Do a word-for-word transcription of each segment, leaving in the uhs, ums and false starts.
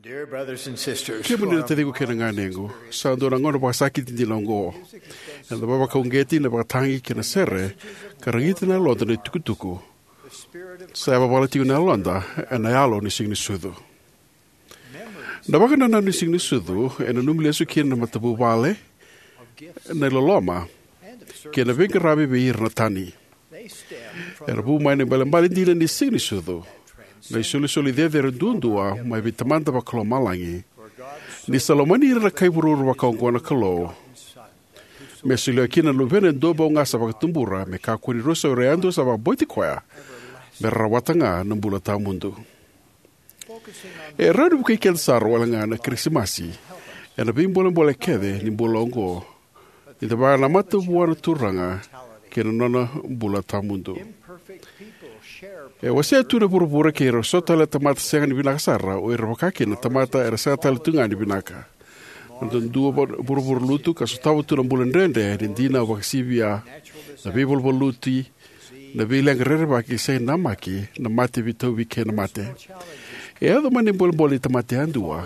Dear brothers and sisters, kemuni na taciqu kei na ganequ, sa dua na gauna vakasakiti dina oqo. Eda vakauqeti na vakatagi kei na sere, ka ragita na yaloda na itukutuku. Sa yavavala tiko na yaloda ena yalo ni Siga ni Sucu. Na vakanananu ni Siga ni Sucu e nanumi lesu kina na matavuvale, na iloloma, kei na veiqaravi vei ira na tani. Era vu mai na ibalebale dina ni Siga ni Sucu, na isolisoli cecere duadua mai vei Tamada Vakalomalagi. Ni sa lomani ira na kai vuravura vakaoqo na Kalou, me solia kina na Luvena e duabau ga sa vakatubura, me kakua ni rusa o ira yadua sa vakabauti koya, me ra rawata ga na bula tawamudu. E rawa ni vukei keda sara wale ga na Kirisimasi ena veibolebole kece ni bula oqo, ni da vakanamata vua na Turaga kei na nona bula tawamudu. E wasea tu na vuravura kei ira so tale na tamata sega ni vinaka sara, o ira vaka kina na tamata era sega tale tu ga ni vinaka. Na dua vuravura lutu ka sotava tu na bula dredre ni dinau vakasivia, na veivaluvaluti, na veileqa rerevaki, sega ni namaki, na mate veitauvi kei na mate. E yaco mai na ibolebole ni tamata yadua.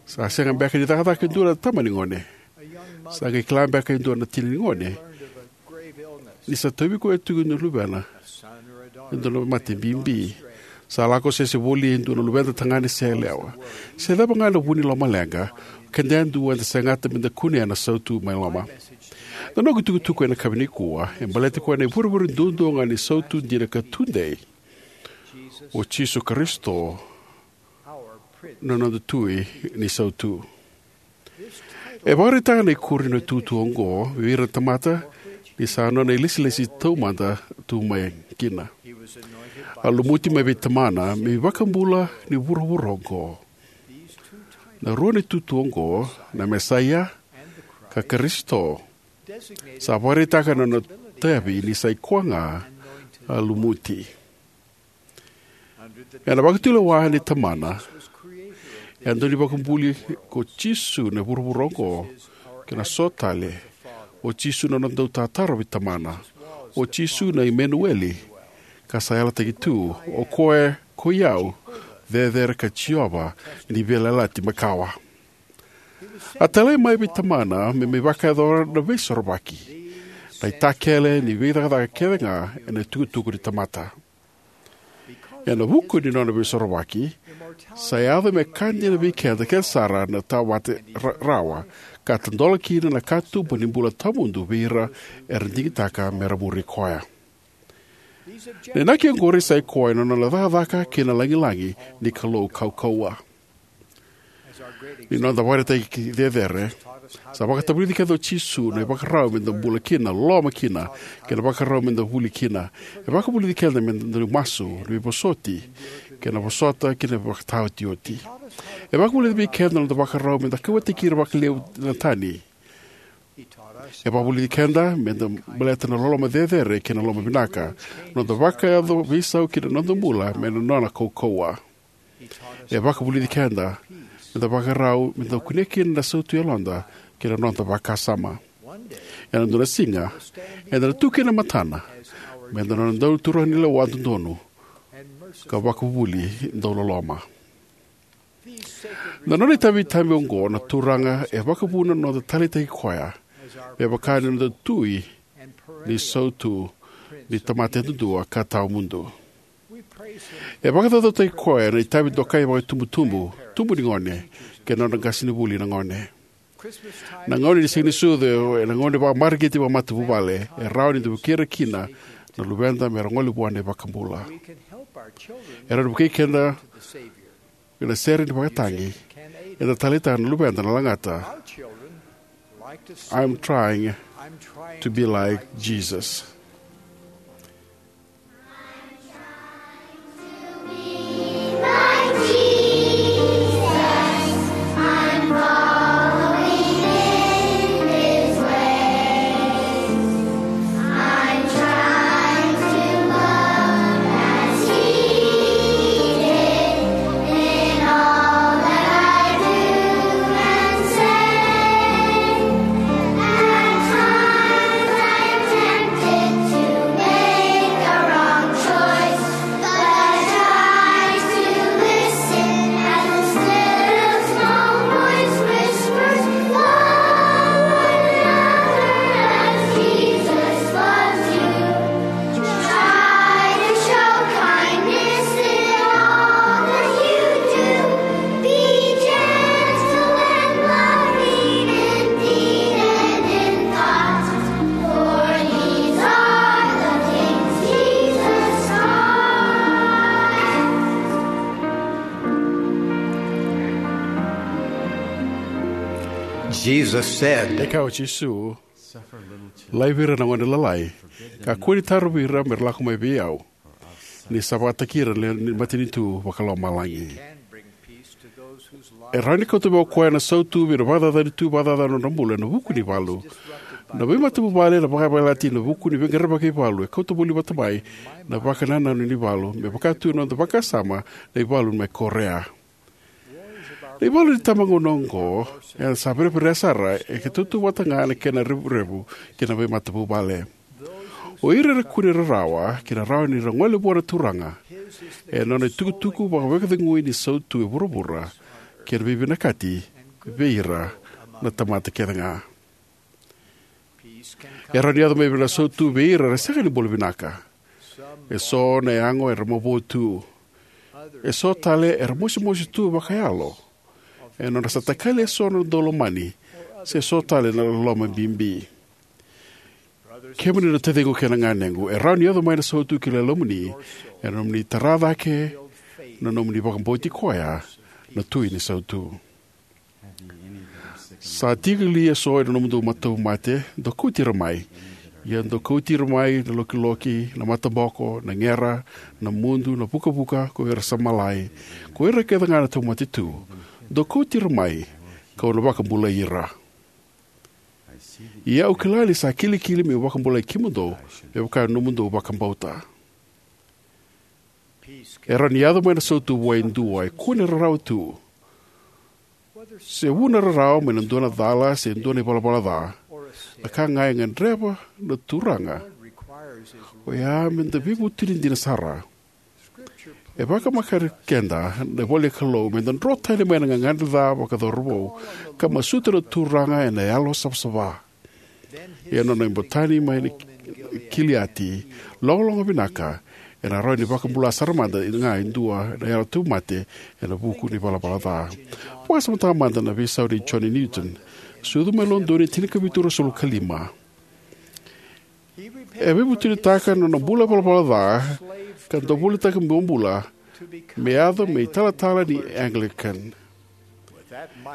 Sa sega beka ni cakacaka e dua na tama ni gone. Sa qai kila beka e dua na tina ni gone ni sa tauvi koya tiko na luvena e dua na mate bibi. Sa lako sese voli e dua na luveda tagane se yalewa. Se cava ga na vu ni lomaleqa, o keda yadua eda segata meda kunea na sautu mai loma. Na noqu itukutuku ena yakavi nikua e baleti koya na ivurevure duadua ga ni sautu dina ka tudei, o Jisu Karisito, na noda Tui ni sautu. E vakaraitaka na ikuri ni tutu oqo vei ira na tamata ni sa nona ilesilesi taumada tu mai kina. A lumuti mai vei Tamana me iVakabula ni vuravura oqo. Na rua ni tutu oqo, na Mesaia ka Karisito, sa vakaraitaka na nona itavi ni sa i koya ga a lumuti. Ena vakatulewa ni Tamana, e dau ni vakabuli ko Jisu na vuravura oqo, kei na so tale, o Jisu na nona dau tataro vei Tamana, o Jisu na Imenueli, ka sa yalataki tu, o koya ko i au, cecere ka Jiova ni Veiyalayalati Makawa. A talai mai vei Tamana me mai vakayacora na Veisorovaki, na itakele ni veicakacaka kece ga ena itukutuku ni tamata. Ena vuku ni nona Veisorovaki, sa yaco me ka dina vei keda kece sara na tawate ra-, rawa, ka tadola kina na katuba ni bula tawamudu vei ira era digitaka me ra muri koya. Na inaki oqori sa i koya na nona cakacaka kei na lagilagi ni Kalou kaukauwa. Ni noda vakaraitaki cecere, sa vakatavulici keda o Jisu na ivakarau meda bula kina, loloma kina, kei na vakarau meda vuli kina. E vakavulici keda meda dau masu, na veivosoti, kei na vosota, kei na vakataotioti. E vakavulici vei keda na noda vakarau meda kauwaitaki ira vakalevu na tani. E vakavulici keda meda baleta na loloma cecere kei na loloma vinaka, noda vakayaco veisau ki na noda bula me na nona kaukauwa. E vakavulici keda meda vakarau meda kunea kina na sautu yaloda kei na noda vakasama. Ena dua na siga, eda na tu kina e matana meda nona dau turaga ni lewa dodonu ka vakavuvuli dau loloma. Na nona itavi tabu oqo na Turaga e vakavuna na noda taleitaki koya me vaka ni noda Tui ni sautu ni tamata yadudua ka tawamudu. E vakacaucautaki koya na itavi dokai vakaitubutubu, tubu ni gone, kei na nodra qasenivuli na gone. Na gauna ni Siganisucu ena gauna ni vakamareqeti vakamatavuvale, e rawa ni da vukei ira kina na luveda me ra gole vua na iVakabula. E rawa ni vukei keda ena sere ni vakatagi. Eda taleitaka na luveda na lagata, "I'm trying to be like Jesus." Jesus said, E kaya o Jisu, "Laivi ira na gone lalai, ka kua ni tarovi ira me ra lako mai vei au, ni sa vakataki ira na le-, ni matanitu vakalomalagi." E rawa ni kauta mai o koya na sautu vei na vakacacani tu vakacacana na nodra bula ena vuku ni valu. Na veimatavuvale na vakayavalati ena vuku ni veiqaravi vakaivalu e kauta voli vata mai na vakanananu ni valu, me vaka tu na noda vakasama na ivalu mai Korea. Na ivalu ni tabagauna oqo e sa vereverea sara, e ke tautauvata ga na kena revurevu kei na veimatavuvale. O ira era kune rarawa kei na rawa ni ra gole vua na Turaga, e nona itukutuku vakavakacegui ni sautu e vuravura, kei na veivinakati vei ira na tamata kece ga. E rawa ni yaco mai na sautu vei ira era sega ni bula vinaka. E so na yago era mavoa tu. E so tale era mosimosi tu vakayalo, e nodra sa takali e so na daulomani, se so tale na loloma bibi. Kemuni na taciqu kei na ganequ, e rawa ni yaco mai na sautu ki na yalomuni, e na nomuni tara cake na nomuni vakabauti koya na Tui ni sautu. Sa tiko li e so e na nomudou matauvimate? Dou kauti ira mai. Ia dou kauti ira mai na lokiloki, na mataboko, na gera, na mudu, na vukavuka, ko ira sa malai, ko ira kece ga na tauvimate tu. Dou kauti ira mai, ka'u na vakabulai ira. Ia au kila ni sa kilikili me'u vakabulai kemudou, me vaka na nomudou vakabauta. E rawa ni yaco mai na sautu vua e dua e kune rarawa tu. Se vu na rarawa mai na dua na cala se dua na ivalavala ca, na ka ga e gadreva na Turaga, oya me da veivutuni dina sara. E vakamakare keda na ivola ni Kalou me da dro tani mai na gagadre ca vakacauravou, ka masuta na Turaga e na yalo savasava. Ia na nona ibotani mai na Kiliati, logologo vinaka, e na rawa ni vakabula sara mada ga e dua na yalo tauvimate e na vuku ni valavala ca. Vakasamataka mada na veisau nei John Newton, sucu mai Lodoni, tinikavitu ruasagavulu ka lima. E veivutunitaka na nona bula valavala ca, ka dau volitaka bobula me yaco me italatala ni Anglican.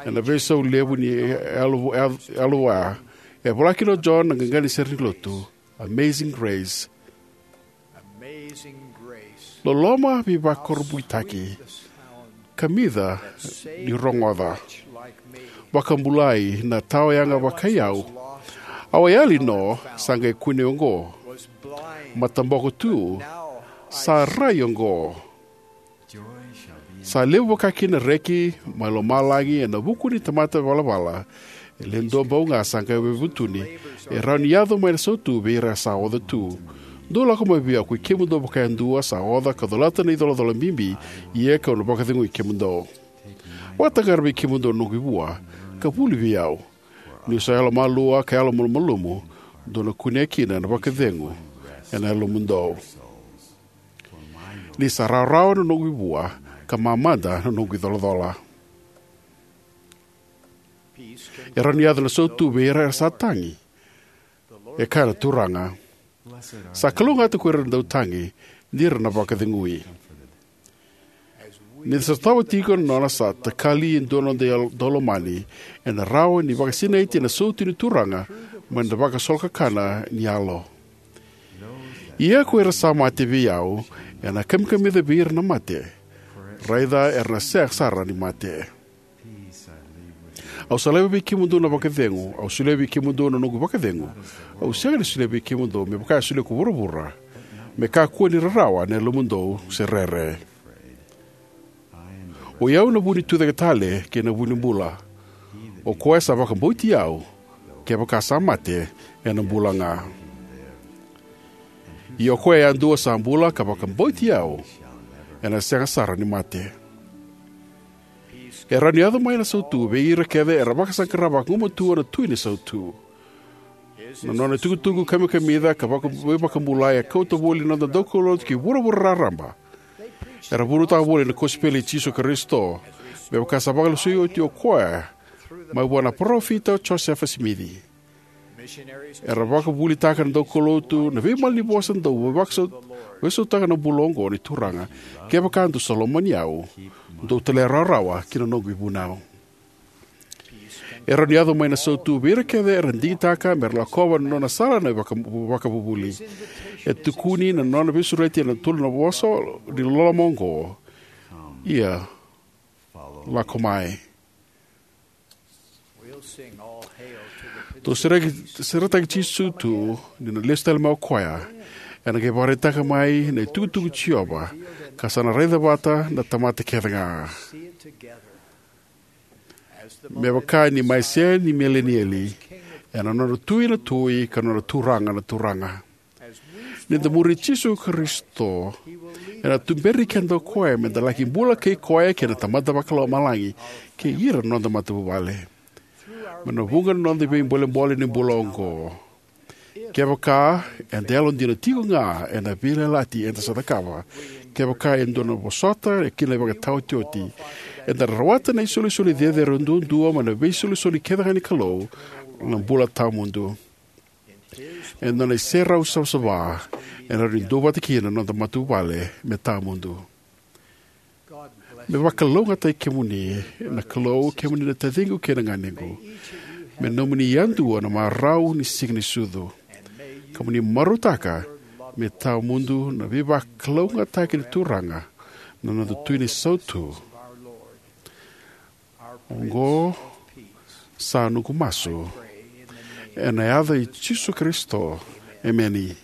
E na veisau levu ni yalo, yalo, yalo vua, e vola kina o John na qaqa ni sere ni lotu, Amazing Grace. Loloma veivakurabuitaki, kamica ni rogoca. Vakabulai na tawayaga vakai au. Au a yali no, sa qai kune oqo. Mataboko tu, sa rai oqo. Sa levu vaka kina reki mai lomalagi e na vuku ni tamata valavala e le dua bau ga sa qai veivutuni. E rawa ni yaco mai na sautu vei ira sa oca tu. Dou lako mai vei au, koi kemudou vakayadua sa oca ka colata na icolacola bibi, ia ka'u na vakacegui kemudou. Vakataqara vei kemudou na noqu ivua, ka vuli vei au. Ni'u sa yalomalua ka yalomalumalumu, dou na kunea kina na vakacegu e na yalomudou. Ni sa rawarawa na noqu ivua, ka mamada na noqu icolacola. E rawa ni yaco na sautu vei ira era sa tagi. E kaya na Turaga, sa kalougata ko ira na dautagi, ni ra na vakacegui. Ni da sotava tiko na nona sa takali e dua na noda yalo, daulomani, e na rawa ni vakasinaiti na sautu ni Turaga mai na vakasolokakana ni yalo. Ia ko ira sa mate vei au, e na kamikamica vei ira na mate. Raica era na sega sara ni mate. Au sa laiva vei kemudou na vakacegu, au solia vei kemudou na noqu vakacegu. Au sega ni solia vei kemudou me vaka e solia ko vuravura. Me kakua ni rarawa na yalomudou se rere. Oi au na vu ni tucake tale kei na vu ni bula. O koya sa vakabauti au, kevaka sa mate, ena bula ga. Ia o koya yadua sa bula ka vakabauti au, ena sega sara ni mate. E rawa ni yaco mai na sautu vei ira kece era vakasaqara vagumatua na Tui ni sautu. Na nona itukutuku kamikamica ka vaka, veivakabulai e kauta voli na noda daukaulotu ki vuravura raraba. Era vunautaka voli na kosipeli i Jisu Karisito, me vaka sa vakalesui oti o koya mai vua na parofita o Josefa Simici. Era vakavulitaka na daukaulotu, na veimalanivosa dau veivakasau-, veisautaka na bula oqo ni Turaga, kevaka dou sa lomani au, dou talairawarawa ki na noqu ivunau. E rawa ni yaco mai na sautu vei ira kece era digitaka me ra lakova na nona sala na vaka-, vakavuvuli. E tukuni na nona veisureti ena tolu na vosa ni loloma oqo: Ia, lako mai. Tou sereki, seretaki Jisu tu ni na lesu tale mai o koya. Ena qai vakaraitaka mai na itukutuku i Jiova, ka sa na raica vata na tamata kece ga. Me vaka ni Mesaia ni milenieli, ena nona Tui na tui, ka nona Turaga na turaga. Ni da muri Jisu Karisito, ena tuberi keda o koya me da laki bula kei koya kei na Tamada Vakalomalagi, kei ira na noda matavuvale. Me na vuqa na noda veibolebole ni bula oqo. Kevaka eda yalodina tiko ga ena veiyalayalati eda sa cakava, kevaka e dua na vosota kina ivakataotioti, eda rawata na isolisoli cecere duadua mai na veisolisoli kece ga ni Kalou, na bula tawamudu. E dua na iserau savasava e rawa ni duavata kina na noda matavuvale me tawamudu. Me vakalougatataki kemuni na Kalou, kemuni na taciqu kei na ganequ. Me nomuni yadua na marau ni Siga ni Sucu. Ka mo ni marautaka me tawamudu na veivakalougatataki ni Turaga, na noda Tui ni Sautu. Oqo sa noqu masu ena yaca i Jisu Karisito. Emeni.